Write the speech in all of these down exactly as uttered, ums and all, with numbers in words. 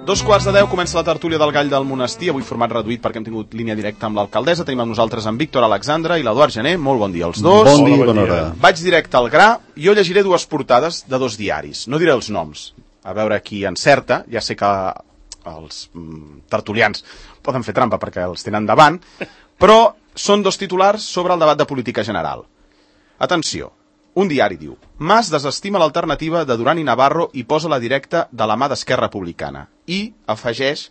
Dos quarts de deu comença la tertúlia del Gall del Monestir, avui format reduït perquè hem tingut línia directa amb l'alcaldessa. Tenim amb nosaltres en Víctor Alexandra i l'Eduard Gené. Molt bon dia als dos. Bon dia, bona hora. Vaig directe al gra. Jo llegiré dues portades de dos diaris. No diré els noms, a veure qui encerta. Ja sé que els mm, tertulians poden fer trampa perquè els tenen davant, però són dos titulars sobre el debat de política general. Atenció. Un diari diu: Mas desestima l'alternativa de Duran i Navarro i posa la directa de la mà d'Esquerra Republicana. I afegeix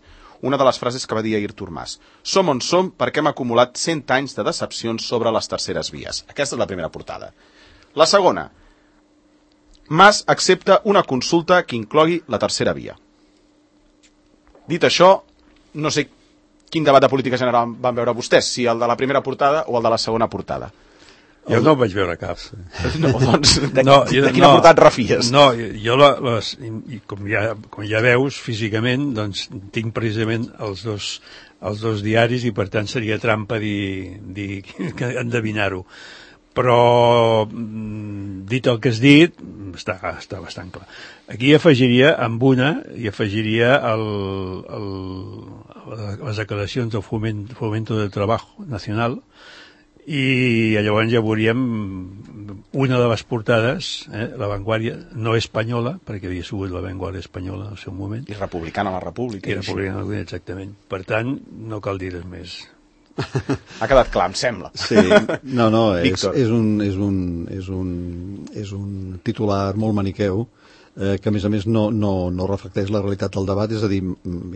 una de les frases que va dir Ayrton Mas: som on som perquè hem acumulat cent anys de decepcions sobre les terceres vies. Aquesta és la primera portada. La segona: Mas accepta una consulta que inclogui la tercera via. Dit això, no sé quin debat de política general van veure vostès, si el de la primera portada o el de la segona portada. Jo no vaig veure cap. No, doncs, de, no, jo, de quina no, portada et refies? No, jo, la, les, i com, ja, com ja veus, físicament, doncs, tinc precisament els dos, els dos diaris i, per tant, seria trampa dir, dir endevinar-ho. Però, dit el que has dit, està, està bastant clar. Aquí afegiria, amb una, i afegiria el, el, les declaracions del Fomento, Fomento del Trabajo Nacional, i llavors ja veuríem una de les portades, eh, La Vanguardia, no espanyola, perquè havia sigut La Vanguardia espanyola en el seu moment. I republicana la República. I republicana la República, exactament. Per tant, no cal dir res més. Ha quedat clar, em sembla. Sí, no, no, és, és, un, és, un, és, un, és un titular molt maniqueu, eh, que a més a més no, no, no reflecteix la realitat del debat, és a dir,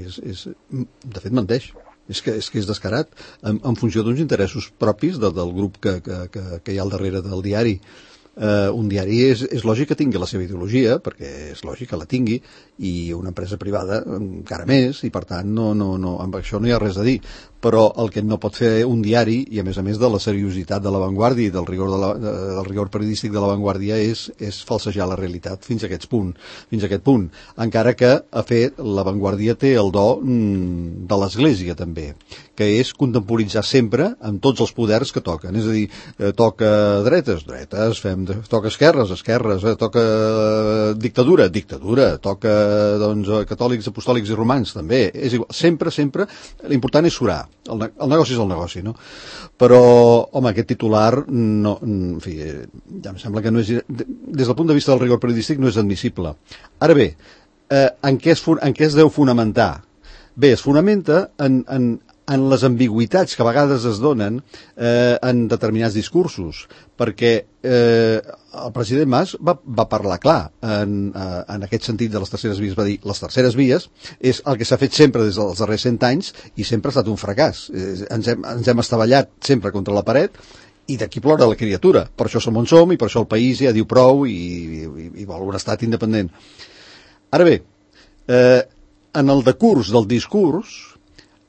és, és, de fet menteix. És que, és que és descarat, en, en funció d'uns interessos propis de, del grup que, que, que, que hi ha al darrere del diari. Eh, un diari és, és lògic que tingui la seva ideologia, perquè és lògic que la tingui, i una empresa privada encara més, i per tant no, no, no, amb això no hi ha res a dir. Però el que no pot fer un diari, i a més a més de la seriositat de La Vanguardia i del rigor, de la, del rigor periodístic de La Vanguardia, és, és falsejar la realitat fins a aquest punt. Fins a aquest punt. Encara que, a fet, La Vanguardia té el do mm, de l'Església, també, que és contemporitzar sempre amb tots els poders que toquen. És a dir, eh, toca dretes, dretes, fem, toca esquerres, esquerres, eh, toca dictadura, dictadura, toca doncs, catòlics, apostòlics i romans, també. És igual. Sempre, sempre, l'important és surar. El, el negoci és el negoci, no? Però, home, aquest titular, no, en fi, ja em sembla que no és, des del punt de vista del rigor periodístic no és admissible. Ara bé, eh, en, què es, en què es deu fonamentar? Bé, es fonamenta en, en, en les ambigüitats que a vegades es donen eh, en determinats discursos, perquè eh, el president Mas va, va parlar clar en, eh, en aquest sentit de les terceres vies. Va dir, les terceres vies és el que s'ha fet sempre des dels darrers cent anys i sempre ha estat un fracàs. Eh, ens, hem, ens hem estavellat sempre contra la paret i d'aquí plora la criatura. Per això som on som i per això el país ja diu prou i, i, i vol un estat independent. Ara bé, eh, en el decurs del discurs,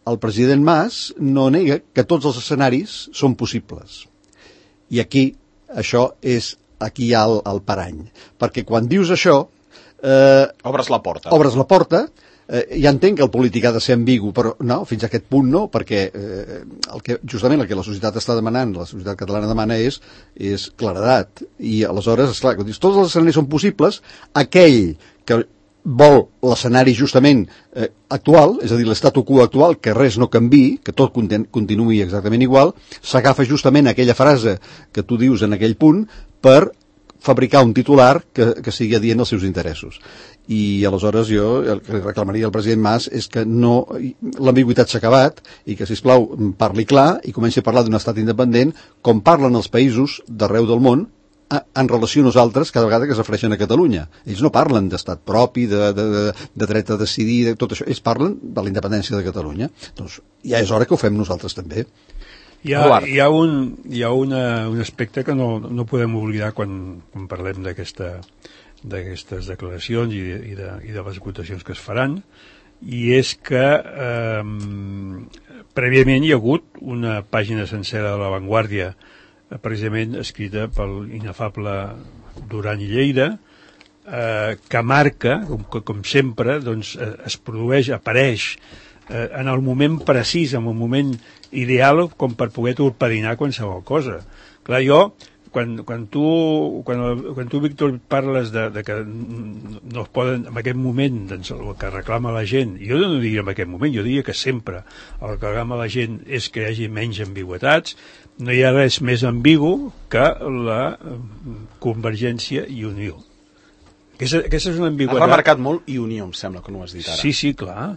el president Mas no nega que tots els escenaris són possibles. I aquí, això és, aquí hi ha el, el parany. Perquè quan dius això... Eh, obres la porta. Obres la porta, eh, ja entenc que el polític ha de ser ambigu, però no, fins a aquest punt no, perquè eh, el que, justament el que la societat està demanant, la societat catalana demana és, és claredat. I aleshores, esclar, quan dius, tots els escenaris són possibles, aquell que vol l'escenari justament eh, actual, és a dir, l'estatu quo actual, que res no canvi, que tot continuï exactament igual, s'agafa justament aquella frase que tu dius en aquell punt per fabricar un titular que, que sigui adient als seus interessos. I aleshores jo el que reclamaria al president Mas és que no, l'ambigüitat s'ha acabat i que, sisplau, parli clar i comenci a parlar d'un estat independent com parlen els països d'arreu del món en relació a nosaltres cada vegada que es refereixen a Catalunya. Ells no parlen d'estat propi, de, de, de, de dret a decidir, de tot això. Ells parlen de la independència de Catalunya. Doncs ja és hora que ho fem nosaltres també. Hi ha, hi ha, un, hi ha una, un aspecte que no, no podem oblidar quan, quan parlem d'aquesta, d'aquestes declaracions i de, i, de, i de les votacions que es faran, i és que eh, prèviament hi ha hagut una pàgina sencera de La Vanguardia precisament escrita pel inefable Duran i Lleida, eh, que marca, com, com sempre, doncs, eh, es produeix, apareix eh, en el moment precís, en el moment ideal, com per poder torpedinar qualsevol cosa. Clar, jo quan, quan tu, quan, quan tu, Víctor, parles de, de que no es poden, en aquest moment, doncs, el que reclama la gent, jo no diria en aquest moment, jo diria que sempre el que reclama la gent és que hi hagi menys ambigüitats, no hi ha res més ambigu que la Convergència i Unió. Aquesta, aquesta és una ambigüetat. Has remarcat molt i Unió, em sembla que no ho has dit ara. Sí, sí, clar.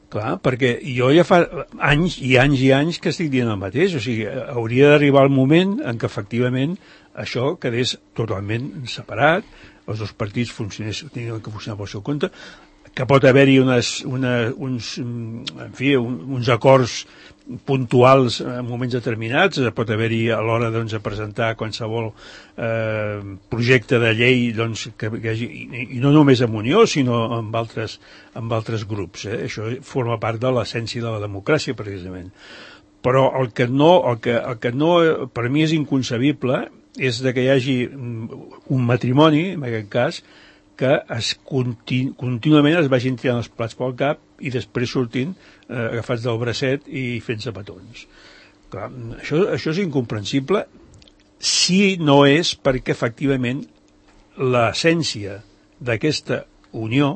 Clar, perquè jo ja fa anys i anys i anys que estic dient el mateix, o sigui, hauria d'arribar el moment en què efectivament això quedés totalment separat, els dos partits funcionessin, tenien que funcionar pel seu compte, que pot haver-hi unes, una, uns, en fi, uns acords puntuals en moments determinats, pot haver-hi a l'hora doncs, de presentar qualsevol eh, projecte de llei doncs, que, que hagi, i, i no només amb Unió sinó amb altres, amb altres grups, eh? Això forma part de l'essència de la democràcia precisament, però el que no, el que, el que no per mi és inconcebible és de que hi hagi un matrimoni, en aquest cas, que es continu, contínuament es vagin tirant els plats pel cap i després sortint eh, agafats del bracet i fent-se petons. Clar, això, això és incomprensible si no és perquè efectivament l'essència d'aquesta unió,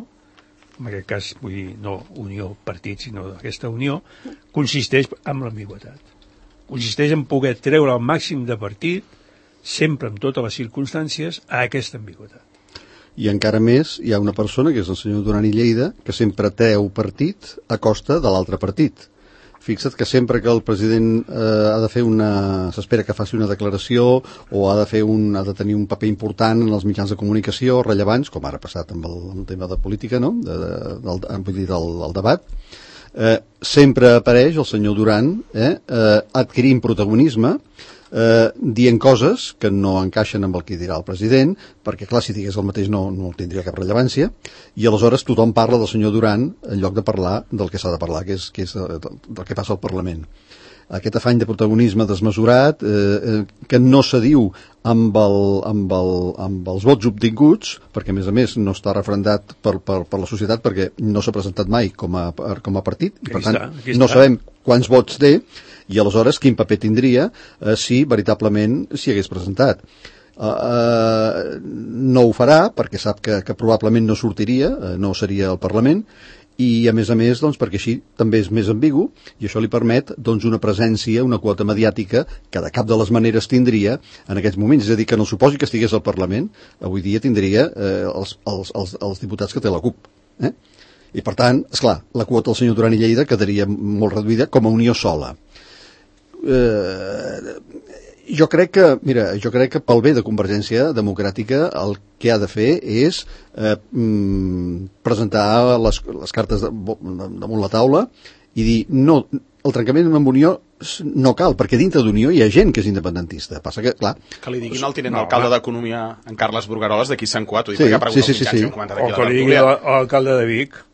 en aquest cas vull dir no unió partit sinó aquesta unió, consisteix en l'ambigüetat. Consisteix en poder treure el màxim de partit sempre en totes les circumstàncies a aquesta ambigüetat. I encara més, hi ha una persona, que és el senyor Duran i Lleida, que sempre treu partit a costa de l'altre partit. Fixa't que sempre que el president eh, ha de fer una... s'espera que faci una declaració o ha de, fer un, ha de tenir un paper important en els mitjans de comunicació rellevants, com ara ha passat amb el, amb el tema de política, no? de, de, del, vull dir, del, del debat, eh, sempre apareix el senyor Duran eh, eh, adquirint protagonisme, Eh, dient coses que no encaixen amb el que dirà el president, perquè clar, si digués el mateix no, no tindria cap rellevància, i aleshores tothom parla del senyor Duran en lloc de parlar del que s'ha de parlar, que és, que és del, del que passa al Parlament. Aquest afany de protagonisme desmesurat, eh, eh, que no se diu amb, el, amb, el, amb els vots obtinguts, perquè a més a més no està refrendat per, per, per la societat, perquè no s'ha presentat mai com a, com a partit, i per tant no sabem quants vots té, i aleshores quin paper tindria eh, si veritablement s'hi hagués presentat. Uh, uh, no ho farà perquè sap que, que probablement no sortiria, uh, no seria al Parlament, i a més a més doncs, perquè així també és més ambigu i això li permet doncs, una presència, una quota mediàtica que de cap de les maneres tindria en aquests moments, és a dir, que no suposi que estigués al Parlament, avui dia tindria eh, els, els, els, els diputats que té la CUP, eh? I per tant, esclar, la quota del senyor Duran i Lleida quedaria molt reduïda com a unió sola. Eh, jo crec que, mira, jo crec que pel bé de Convergència Democràtica el que ha de fer és eh, mm, presentar les, les cartes de, damunt la taula i dir, no, el trencament amb Unió no cal, perquè dintre d'Unió hi ha gent que és independentista. Passa que, clar... Que li diguin al tinent no, alcalde d'Economia, en Carles Burgaroles, d'aquí Sant Cuat, ho dic, sí, perquè ha preguntat sí, sí, sí, sí. O que li digui l'alcalde de Vic.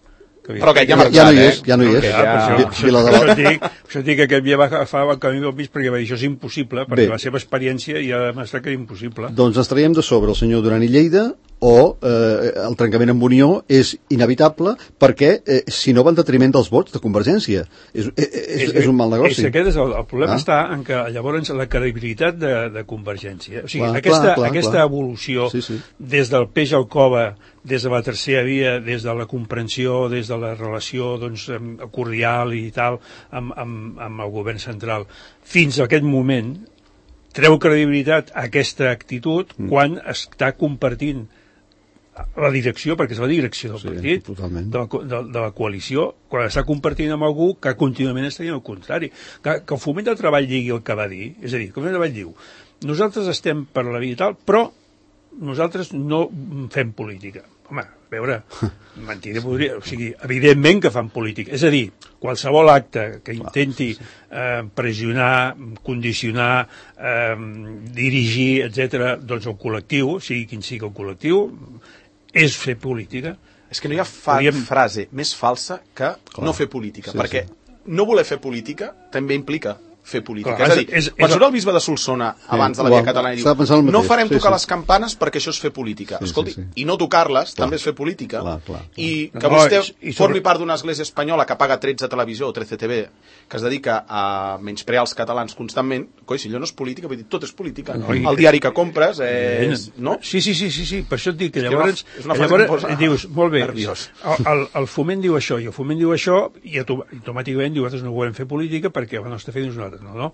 Però que ja, ja, ja no hi és, ja no hi és. Ja, ja, això, això, dic, això dic que aquest dia va agafar el camí del mig perquè va dir això és impossible, perquè bé, la seva experiència ja ha demostrat que era impossible. Doncs ens traiem de sobre el senyor Duran i Lleida o eh, el trencament amb Unió és inevitable perquè eh, si no va en detriment dels vots de Convergència. És, és, és, és un mal negoci. És, aquest és el, el problema ah. està en que llavors la credibilitat de, de Convergència, o sigui, clar, aquesta, clar, clar, aquesta clar. evolució sí, sí. des del peix al cova, des de la tercera via, des de la comprensió, des de la relació doncs, cordial i tal amb, amb, amb el govern central, fins a aquest moment treu credibilitat a aquesta actitud mm. quan està compartint la direcció, perquè és la direcció del sí, partit, de la, de, de la coalició, quan està compartint amb algú que contínuament està dient el contrari. Que, que el Foment del Treball digui el que va dir, és a dir, que el Foment del Treball diu nosaltres estem per la vida i tal, però nosaltres no fem política. Home, a veure, mentida podria... O sigui, evidentment que fan política. És a dir, qualsevol acte que intenti eh, pressionar, condicionar, eh, dirigir, etcètera, doncs el col·lectiu, sigui quin sigui el col·lectiu, és fer política. És que no hi ha fa Podríem... frase més falsa que Clar. no fer política, sí, perquè sí. no voler fer política també implica fer política. Clar, és a dir, és, és, quan és... surt el bisbe de Solsona abans de la Via Catalana i diu no farem tocar sí, sí. les campanes perquè això és fer política. Sí, Escolti, sí, sí. I no tocar-les clar. també és fer política. Clar, clar, clar. I que no, vostè i, i sobre... formi part d'una església espanyola que paga tretze Televisió o trece T V, que es dedica a menysprear els catalans constantment, coi, si allò no és política, vull dir, tot és política. No, i... El diari que compres és... No? Sí, sí, sí, sí, sí, per això et dic que llavors... És una, és una llavors que dius, molt bé, el, el, el foment diu això, i el foment diu això, i automàticament diu, nosaltres no volem fer política perquè la nostra feina és nosaltres. No, no,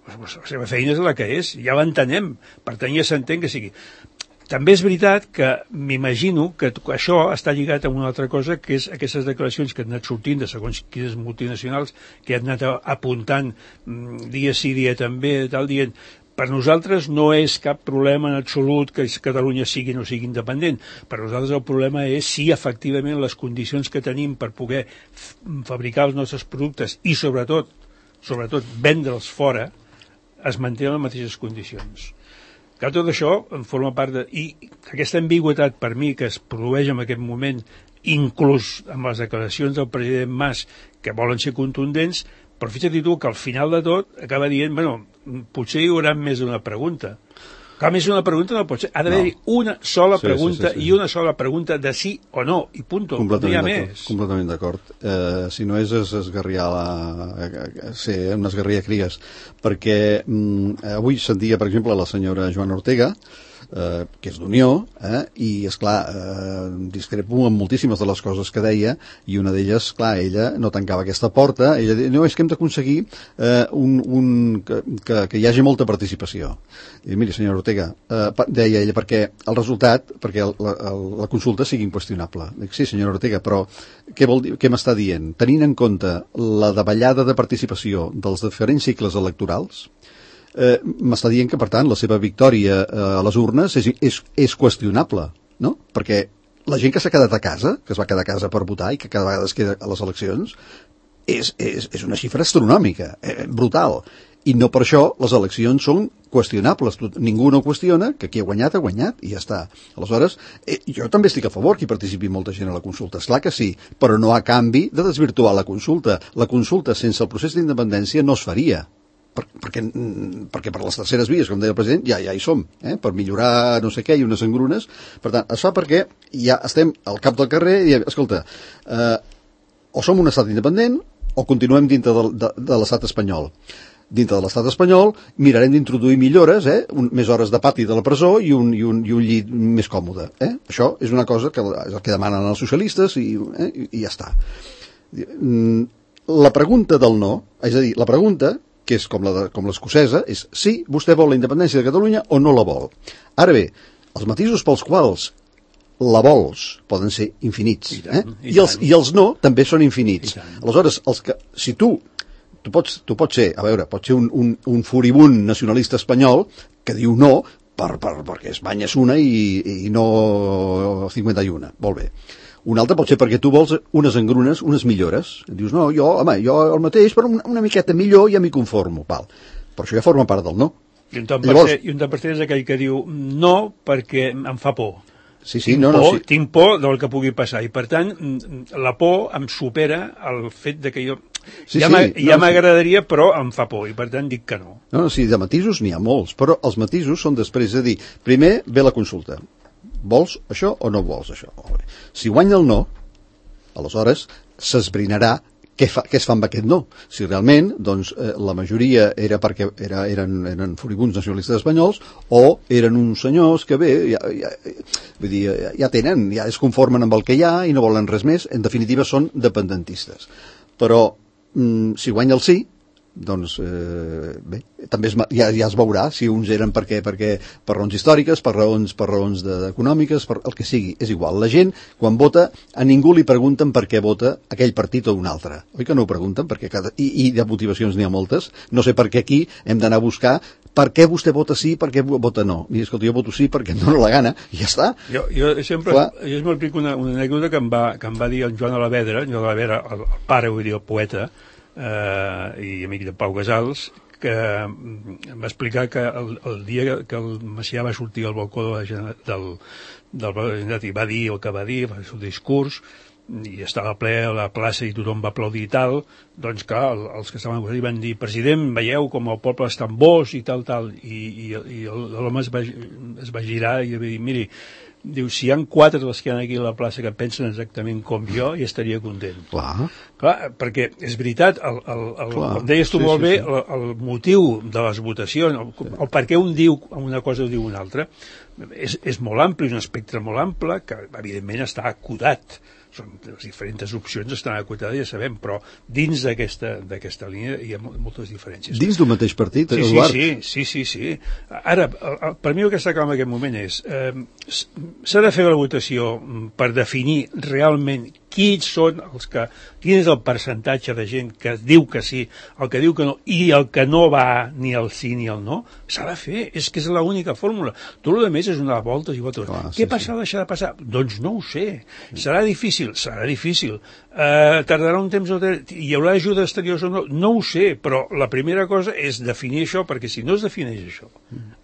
la seva feina és la que és, ja l'entenem, per tant ja s'entén que sigui. També és veritat que m'imagino que això està lligat a una altra cosa, que és aquestes declaracions que han anat sortint de segons quines multinacionals, que han anat apuntant dia sí, dia també, tal, dient per nosaltres no és cap problema en absolut que Catalunya sigui o no sigui independent. Per nosaltres el problema és si efectivament les condicions que tenim per poder fabricar els nostres productes i sobretot sobretot vendre'ls fora, es manté en les mateixes condicions. Clar, tot això en forma part de... I aquesta ambigüetat per mi que es produeix en aquest moment, inclús amb les declaracions del president Mas, que volen ser contundents, però fixa't tu que al final de tot acaba dient, bueno, potser hi haurà més d'una pregunta. Clar, més una pregunta no pot ser. Ha d'haver-hi no. una sola sí, pregunta sí, sí, sí. i una sola pregunta de sí o no, i punto. No hi ha més. Completament d'acord. Eh, si no és es esgarriar la... ser una esgarria cries. Perquè mm, avui sentia, per exemple, la senyora Joana Ortega, eh, que és d'Unió, eh, i, esclar, eh, discrepo amb moltíssimes de les coses que deia, i una d'elles, clar, ella no tancava aquesta porta, ella deia, no, és que hem d'aconseguir eh, un, un, que, que, que hi hagi molta participació. I miri, senyora Ortega, eh, deia ella, perquè el resultat, perquè el, la, el, la consulta sigui inqüestionable. Dic, sí, senyora Ortega, però què vol dir, què m'està dient? Tenint en compte la davallada de participació dels diferents cicles electorals, eh, m'està dient que, per tant, la seva victòria eh, a les urnes és, és, és qüestionable, no? Perquè la gent que s'ha quedat a casa, que es va quedar a casa per votar i que cada vegada es queda a les eleccions, és, és, és una xifra astronòmica, eh, brutal. I no per això les eleccions són qüestionables. Ningú no qüestiona que qui ha guanyat ha guanyat i ja està. Aleshores, eh, jo també estic a favor que hi participi molta gent a la consulta. Esclar que sí, però no a canvi de desvirtuar la consulta. La consulta sense el procés d'independència no es faria. Per, perquè, perquè per les terceres vies, com deia el president, ja, ja hi som, eh? Per millorar no sé què i unes engrunes. Per tant, es fa perquè ja estem al cap del carrer i diem, escolta, eh, o som un estat independent o continuem dintre de, de, de l'estat espanyol. Dintre de l'estat espanyol mirarem d'introduir millores, eh? un, més hores de pati de la presó i un, i un, i un llit més còmode. Eh? Això és una cosa que, és el que demanen els socialistes i, eh? I, i ja està. La pregunta del no, és a dir, la pregunta que és com la com l'escocesa, és si vostè vol la independència de Catalunya o no la vol. Ara bé, els matisos pels quals la vols poden ser infinits. I, tant, eh? I, I, els, I els no també són infinits. Aleshores, els que, si tu, tu pots, tu pots ser, a veure, pots ser un, un, un furibund nacionalista espanyol que diu no per, per, perquè Espanya és una i, i no cinquanta i una. Molt bé. Un altre pot ser perquè tu vols unes engrunes, unes millores. Dius, no, jo, home, jo el mateix, però una, una miqueta millor ja m'hi conformo. Val. Però això ja forma part del no. I un tant per cent, i un tant per cent és aquell que diu no perquè em fa por. Sí, sí, tinc, no, por, no, sí. tinc por del que pugui passar. I per tant, la por em supera el fet de que jo... Sí, ja sí, ja no, m'agradaria, sí. Però em fa por, i per tant dic que no. No, no, sí, de matisos n'hi ha molts, però els matisos són després de dir, primer ve la consulta. Vols això o no vols això? Si guanya el no, aleshores s'esbrinarà què, fa, què es fa amb aquest no. Si realment doncs, eh, la majoria era perquè era, eren, eren furibuns nacionalistes espanyols o eren uns senyors que bé, ja, ja, vull dir, ja, ja tenen, ja es conformen amb el que hi ha i no volen res més, en definitiva són dependentistes. Però mm, si guanya el sí, doncs eh, bé, també es, ja, ja es veurà si uns eren perquè, perquè per raons històriques, per raons, per raons de, econòmiques, per el que sigui, és igual. La gent, quan vota, a ningú li pregunten per què vota aquell partit o un altre. Oi que no ho pregunten? Perquè cada, i, i de motivacions n'hi ha moltes. No sé per què aquí hem d'anar a buscar per què vostè vota sí, per què vota no. I escolta, jo voto sí perquè em dono la gana, i ja està. Jo, jo sempre, Clar. jo m'explico una, una anècdota que em, va, que em va dir en Joan Alavedra, Joan Alavedra, el, el pare, vull dir, el poeta, eh, i amic de Pau Casals, que em va explicar que el, el dia que el Macià va sortir al balcó de la, del, del Generalitat i va dir el que va dir, va fer el seu discurs, i estava ple a la plaça i tothom va aplaudir i tal, doncs clar, els que estaven al van dir, president, veieu com el poble està en vos i tal, tal, i, i, i l'home es, va, es va girar i va dir, miri, diu, si hi ha quatre dels que hi ha aquí a la plaça que pensen exactament com jo, ja estaria content. Clar. Clar, perquè és veritat, el, el, el, com deies tu sí, molt sí, bé, sí. El, el motiu de les votacions, el, sí. el per què un diu una cosa o diu una altra, és, és molt ampli, un espectre molt ample, que evidentment està acotat. Són les diferents opcions estan acotades, ja sabem, però dins d'aquesta d'aquesta línia hi ha moltes diferències. Dins d'un mateix partit, sí, Eduard? Sí, sí, sí, sí. Ara, per mi el que està clar en aquest moment és eh, s'ha de fer la votació per definir realment quins són els que, quin és el percentatge de gent que diu que sí, el que diu que no, i el que no va ni el sí ni el no, s'ha de fer, és que és l'única fórmula. Tot el més és una voltes i voltes. Clar, Què sí, passarà, sí. deixarà de passar? Doncs no ho sé. Serà difícil? Serà difícil. Uh, tardarà un temps o tres? Hi haurà ajuda exteriors o no? No ho sé, però la primera cosa és definir això, perquè si no es defineix això,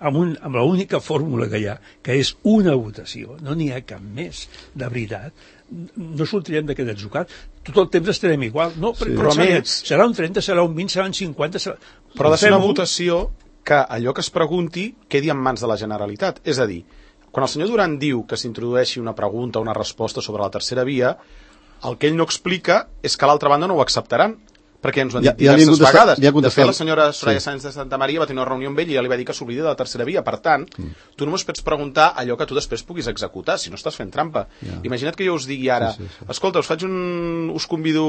amb, un, amb l'única fórmula que hi ha, que és una votació, no n'hi ha cap més, de veritat, no sortirem d'aquest atzucat, tot el temps estarem igual, no, sí, però més, serà un trenta, serà un vint, serà un cinquanta, serà... però ha de ser una votació que allò que es pregunti quedi en mans de la Generalitat, és a dir, quan el senyor Duran diu que s'introdueixi una pregunta o una resposta sobre la tercera via, el que ell no explica és que l'altra banda no ho acceptaran, perquè ens ho han dit ja, diverses ja vegades. Ja de fet, la senyora Soraya sí. Sáenz de Santa Maria va tenir una reunió amb ell i ja li va dir que s'oblida de la tercera via. Per tant, mm. tu només pots preguntar allò que tu després puguis executar, si no estàs fent trampa. Ja. Imagina't que jo us digui ara, sí, sí, sí. escolta, us faig un... us convido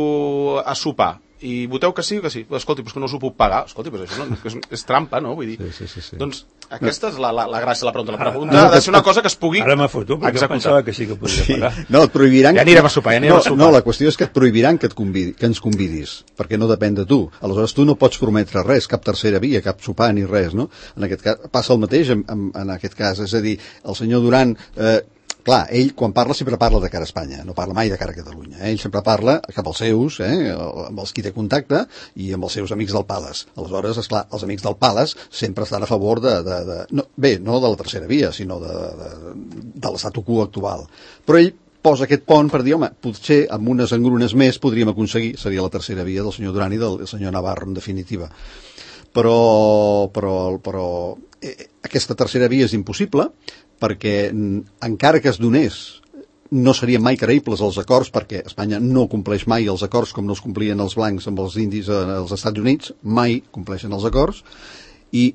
a sopar, i voteu que sí o que sí? Escolti, però és que no us ho puc pagar. Escolti, però això no, és, és trampa, no? Vull dir, sí, sí, sí, sí. Doncs aquesta és la, la, la gràcia de la pregunta. La pregunta ah, ha de ser una cosa que es pugui ara m'ha foto, perquè executar. Pensava que sí que podria sí. pagar. No, et prohibiran... Ja anirem a sopar, ja anirem no, a sopar. No, la qüestió és que et prohibiran que, et convidi, que ens convidis, perquè no depèn de tu. Aleshores tu no pots prometre res, cap tercera via, cap sopar ni res, no? En aquest cas passa el mateix en, en, en aquest cas, és a dir, el senyor Duran... Eh, clar, ell quan parla sempre parla de cara a Espanya, no parla mai de cara a Catalunya. Eh? Ell sempre parla cap als seus, eh? amb els qui té contacte i amb els seus amics del Pales. Aleshores, esclar, els amics del Pales sempre estan a favor de... de, de no, bé, no de la tercera via, sinó de, de, de l'estatu quo actual. Però ell posa aquest pont per dir, home, potser amb unes engrunes més podríem aconseguir, seria la tercera via del senyor Duran i del senyor Navarro, en definitiva. Però, però, però eh, aquesta tercera via és impossible, perquè encara que es donés no serien mai creïbles els acords, perquè Espanya no compleix mai els acords com no els complien els blancs amb els indis als Estats Units, mai compleixen els acords i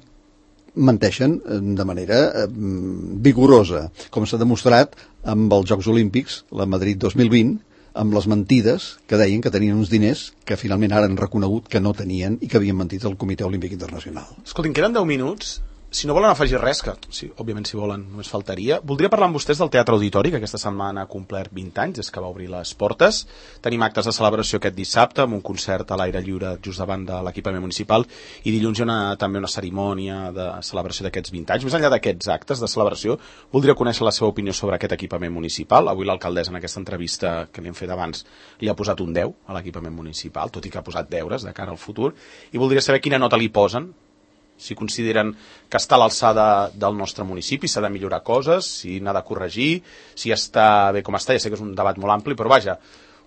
menteixen de manera eh, vigorosa, com s'ha demostrat amb els Jocs Olímpics, la Madrid dos mil vint, amb les mentides que deien que tenien uns diners que finalment ara han reconegut que no tenien i que havien mentit al Comitè Olímpic Internacional. Escoltin, queden deu minuts. Si no volen afegir res, que sí, òbviament si volen només faltaria, voldria parlar amb vostès del Teatre Auditori, que aquesta setmana ha complert vint anys, des que va obrir les portes. Tenim actes de celebració aquest dissabte, amb un concert a l'aire lliure just davant de l'equipament municipal, i dilluns hi ha una, també una cerimònia de celebració d'aquests vint anys. Més enllà d'aquests actes de celebració, voldria conèixer la seva opinió sobre aquest equipament municipal. Avui l'alcaldessa, en aquesta entrevista que li hem fet abans, li ha posat un deu a l'equipament municipal, tot i que ha posat deures de cara al futur, i voldria saber quina nota li posen, si consideren que està a l'alçada del nostre municipi, s'ha de millorar coses, si n'ha de corregir, si està bé com està, ja sé que és un debat molt ampli, però vaja,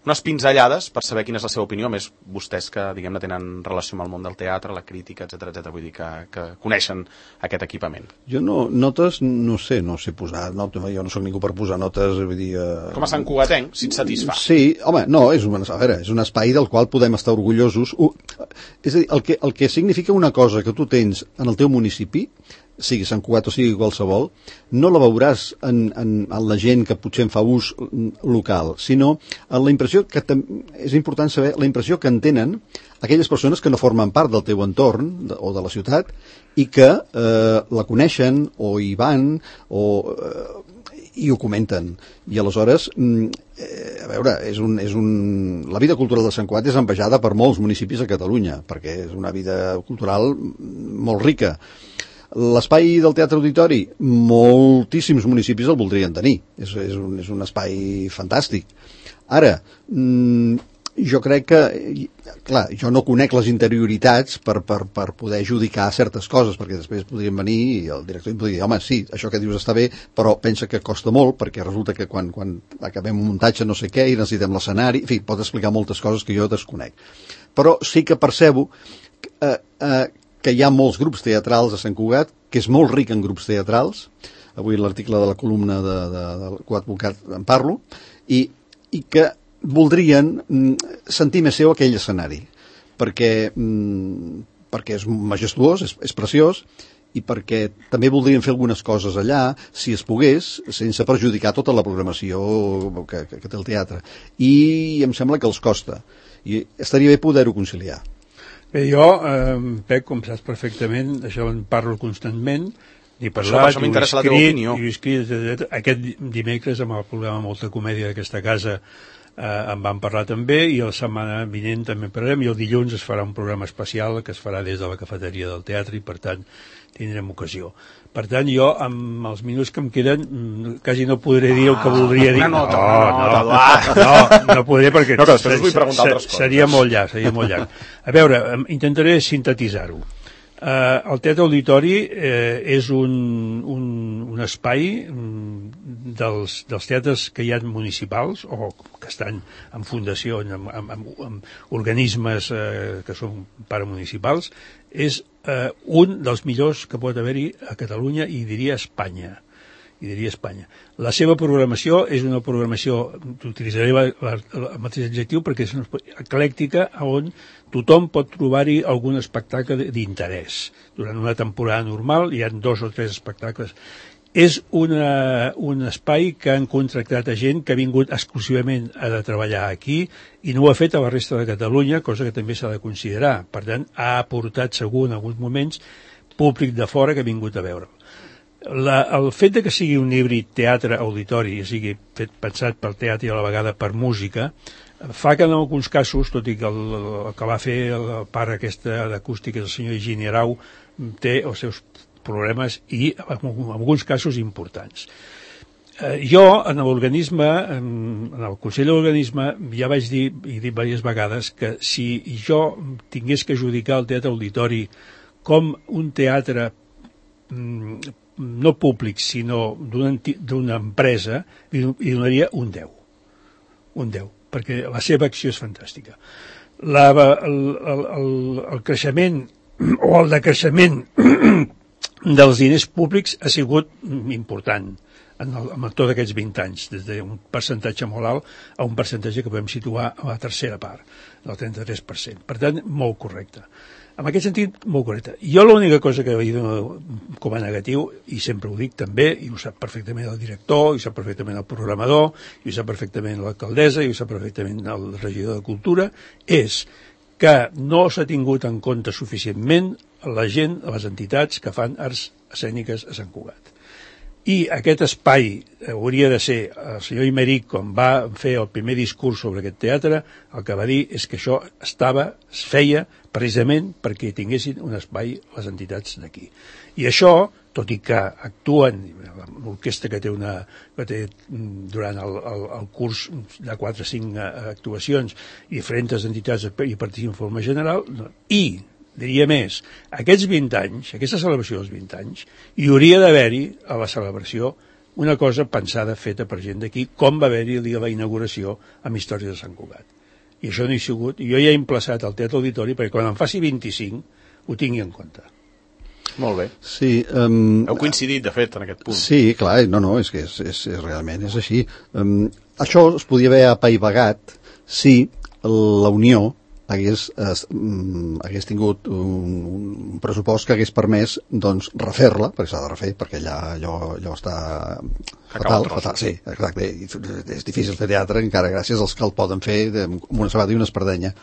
unes pinzellades per saber quina és la seva opinió, més vostès que, diguem-ne, tenen relació amb el món del teatre, la crítica, etcètera, etcètera, vull dir que, que coneixen aquest equipament. Jo no, notes, no sé, no sé posar notes, jo no sóc ningú per posar notes, vull dir... Eh... Com a Sant Cugatenc, si et satisfà. Sí, home, no, és un, a veure, és un espai del qual podem estar orgullosos. Uh, és a dir, el que, el que significa una cosa que tu tens en el teu municipi, sigui Sant Cugat o sigui qualsevol, no la veuràs en, en, en la gent que potser en fa ús local, sinó en la impressió que és important saber la impressió que en tenen aquelles persones que no formen part del teu entorn de, o de la ciutat i que eh, la coneixen o hi van o eh, i ho comenten. I aleshores, eh, a veure, és un, és un... la vida cultural de Sant Cugat és envejada per molts municipis a Catalunya, perquè és una vida cultural molt rica. L'espai del Teatre Auditori, moltíssims municipis el voldrien tenir. És, és, un, és un espai fantàstic. Ara, mmm, jo crec que, clar, jo no conec les interioritats per, per, per poder adjudicar certes coses, perquè després podrien venir i el director em podria dir, home, sí, això que dius està bé, però pensa que costa molt, perquè resulta que quan, quan acabem un muntatge no sé què i necessitem l'escenari, en fi, pot explicar moltes coses que jo desconec. Però sí que percebo eh, eh, que hi ha molts grups teatrals a Sant Cugat, que és molt ric en grups teatrals. Avui l'article de la columna de, de, del coadvocat en parlo, i, i que voldrien mm, sentir més seu aquell escenari, perquè, mm, perquè és majestuós, és, és preciós, i perquè també voldrien fer algunes coses allà, si es pogués, sense perjudicar tota la programació que, que, que té el teatre. I em sembla que els costa. I estaria bé poder-ho conciliar. Bé, jo, eh, Pep, com saps perfectament, això en parlo constantment, i parlat, això, això m'interessa la teva opinió. I escrit, aquest dimecres amb el programa Molta Comèdia d'aquesta casa eh, en vam parlar també, i la setmana vinent també parlarem, i el dilluns es farà un programa especial que es farà des de la cafeteria del teatre i per tant tindrem ocasió. Per tant, jo, amb els minuts que em queden, quasi no podré dir el que voldria dir. No, no, no, no, no, no podré perquè no, després us vull preguntar altres coses. Seria molt llarg, seria molt llarg. A veure, intentaré sintetitzar-ho. Uh, el Teatre Auditori eh, és un, un, un espai dels, dels teatres que hi ha municipals o que estan en fundació, en, en, en, en organismes eh, que són paramunicipals, és eh, un dels millors que pot haver-hi a Catalunya i diria Espanya. i diria Espanya. La seva programació és una programació, utilitzaré la, la, el mateix adjectiu perquè és una eclèctica on tothom pot trobar-hi algun espectacle d'interès. Durant una temporada normal hi ha dos o tres espectacles. És una, un espai que han contractat a gent que ha vingut exclusivament a de treballar aquí i no ho ha fet a la resta de Catalunya, cosa que també s'ha de considerar. Per tant, ha aportat segur en alguns moments públic de fora que ha vingut a veure. La, el fet de que sigui un híbrid teatre-auditori, o sigui, fet, pensat pel teatre i a la vegada per música, fa que en alguns casos, tot i que el, el que va fer la part aquesta d'acústica del senyor Higini Arau té els seus problemes i en alguns casos importants. Eh, jo, en l'organisme, en el Consell de l'Organisme, ja vaig dir, i he dit diverses vegades, que si jo tingués que adjudicar el teatre auditori com un teatre mm, no públic, sinó d'una empresa, li donaria un deu. Un deu, perquè la seva acció és fantàstica. La, el, el, el, el creixement o el decreixement dels diners públics ha sigut important en, el, en tots aquests vint anys, des d'un percentatge molt alt a un percentatge que podem situar a la tercera part, del trenta-tres per cent. Per tant, molt correcte. En aquest sentit, molt correcte. Jo l'única cosa que he dit com a negatiu, i sempre ho dic també, i ho sap perfectament el director, i ho sap perfectament el programador, i ho sap perfectament l'alcaldessa, i ho sap perfectament el regidor de Cultura, és que no s'ha tingut en compte suficientment la gent, les entitats que fan arts escèniques a Sant Cugat. I aquest espai hauria de ser, el senyor Imeric, quan va fer el primer discurs sobre aquest teatre, el que va dir és que això estava, es feia precisament perquè tinguessin un espai les entitats d'aquí. I això, tot i que actuen, l'orquestra que té una, que té durant el, el, el curs de quatre o cinc actuacions, i diferents entitats hi participen en forma general, i diria més, aquests vint anys, aquesta celebració dels vint anys, hi hauria d'haver-hi a la celebració una cosa pensada, feta per gent d'aquí, com va haver-hi el dia de la inauguració amb Històries de Sant Cugat. I això no hi ha sigut. Jo ja he emplaçat al Teatre Auditori perquè quan en faci vint-i-cinc ho tingui en compte. Molt bé. Sí, um, heu coincidit, de fet, en aquest punt. Sí, clar, no, no, és que és, és, és realment és així. Um, això es podia haver apaivagat si la Unió hagués, eh, hagués tingut un, un pressupost que hagués permès doncs refer-la, perquè s'ha de refer, perquè allà allò, allò està fatal, fatal, sí, exacte, és difícil fer teatre encara gràcies als que el poden fer amb una sabata i una espardenya.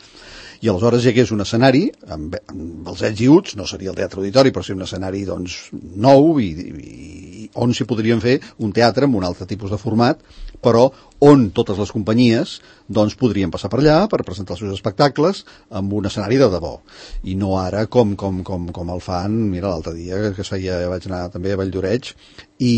I aleshores hi hagués un escenari amb, amb els ets i uts, no seria el teatre auditori, però sí un escenari doncs nou i, i on s'hi podrien fer un teatre amb un altre tipus de format, però on totes les companyies doncs podrien passar per allà per presentar els seus espectacles amb un escenari de debò. I no ara com, com, com, com el fan, mira, l'altre dia que es feia, vaig anar també a Valldoreix, i,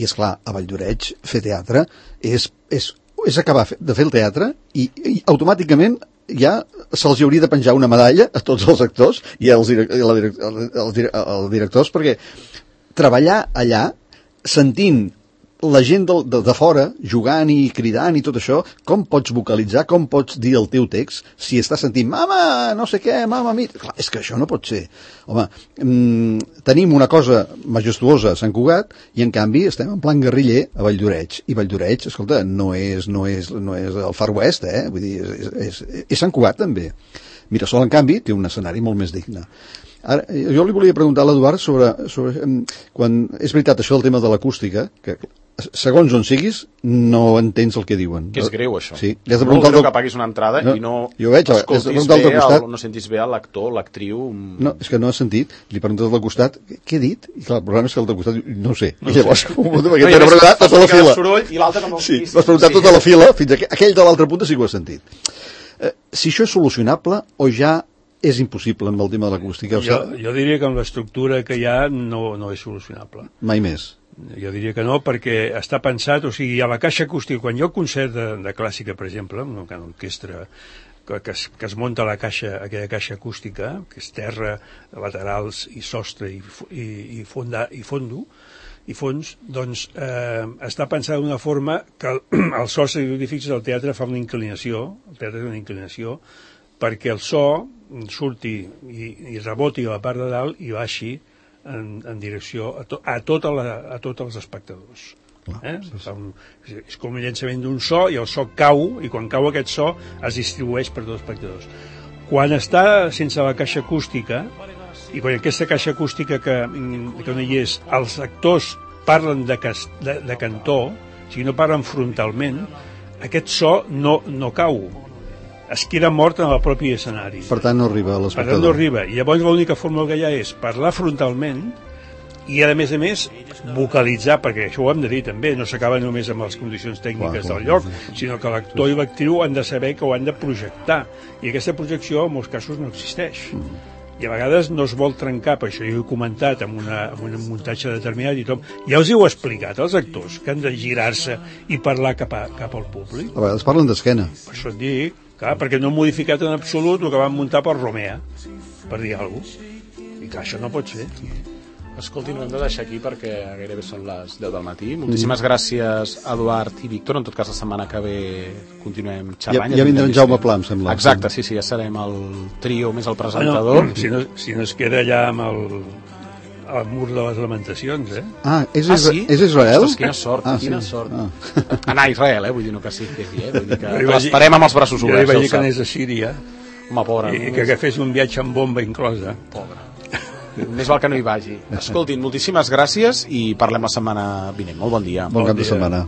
i esclar, a Valldoreix fer teatre és, és, és acabar de fer el teatre i, i automàticament ja se'ls hauria de penjar una medalla a tots els actors i als direc la direc els, direc els directors, perquè treballar allà sentint la gent de, de, de fora jugant i cridant i tot això, com pots vocalitzar, com pots dir el teu text si estàs sentint mama, no sé què, mama, mi... Clar, és que això no pot ser. Home, mmm, tenim una cosa majestuosa a Sant Cugat i en canvi estem en plan guerriller a Valldoreix. I Valldoreix, escolta, no és, no és, no és el Far West, eh? Vull dir, és, és, és Sant Cugat també. Mirasol, en canvi, té un escenari molt més digne. Ara, jo li volia preguntar a l'Eduard sobre, sobre quan és veritat això del tema de l'acústica, que segons on siguis no entens el que diuen. Que és greu, això. Sí. Has de molt greu que paguis una entrada no, i no jo veig, escoltis bé, el, no sentis bé l'actor, l'actriu. No, és que no has sentit. Li preguntes al costat, què he dit? I clar, el problema és que el del costat no ho sé. No I llavors, com ho perquè t'he preguntat tota la fila. Soroll, i l'altre com el sí, vas preguntar tota la fila, fins a aquell de l'altra punta sí que ho has sentit. Eh, si això és solucionable o ja és impossible amb el tema de l'acústica? Jo, jo diria que amb l'estructura que hi ha no, no és solucionable. Mai més. Jo diria que no, perquè està pensat, o sigui, a la caixa acústica, quan hi ha un concert de, de clàssica, per exemple, una orquestra que, que, es, que es munta la caixa, aquella caixa acústica, que és terra, laterals i sostre i, i, i, fonda, i fondo, i fons, doncs eh, està pensat d'una forma que el, el so, si fixes, el teatre fa una inclinació, el teatre fa una inclinació, perquè el so surti i, i reboti a la part de dalt i baixi En, en direcció a, to, a, tota la, a tots els espectadors. Eh? Sí, sí. Un, és com el llançament d'un so i el so cau, i quan cau aquest so es distribueix per tots els espectadors. Quan està sense la caixa acústica, i quan aquesta caixa acústica que, que no hi és, els actors parlen de, cas, de, de cantó, o sigui, no parlen frontalment, aquest so no, no cau. Es queda mort en el propi escenari. Per tant, no arriba a l'espectador. Per tant, no arriba. I llavors l'única fórmula que hi ha és parlar frontalment i, a més a més, vocalitzar, perquè això ho hem de dir també, no s'acaba només amb les condicions tècniques clar, del lloc, clar. Sinó que l'actor i l'actriu han de saber que ho han de projectar. I aquesta projecció, en molts casos, no existeix. Mm. I a vegades no es vol trencar, per això jo he comentat amb, una, amb un muntatge determinat i tot. Ja us heu explicat als actors que han de girar-se i parlar cap, a, cap al públic. A vegades parlen d'esquena. Per això et dic, clar, perquè no han modificat en absolut el que van muntar per Romea, per dir alguna cosa. I clar, això no pot ser. Escolti, no hem de deixar aquí perquè gairebé són les deu del matí. Moltíssimes mm. gràcies, Eduard i Víctor. En tot cas, la setmana que ve continuem xerrant. Ja, ja vindrà en Jaume Pla, em sembla. Exacte, sí, sí, ja serem el trio més el presentador. Bueno, si, no, si no es queda ja amb el, el mur de les lamentacions, eh? Ah, és, ah, sí? és Israel? Ostres, quina sort, ah, quina sí. sort. Ah. Anar a Israel, eh? Vull dir, no que sí, que sí, eh? Vull dir que l'esperem amb els braços oberts. Jo li vaig dir que anés a Síria. Home, pobre. I que, que fes un viatge amb bomba inclosa. Pobre. Més val que no hi vagi. Escoltin, moltíssimes gràcies i parlem la setmana vinent. Molt bon dia. Bon, bon cap de setmana.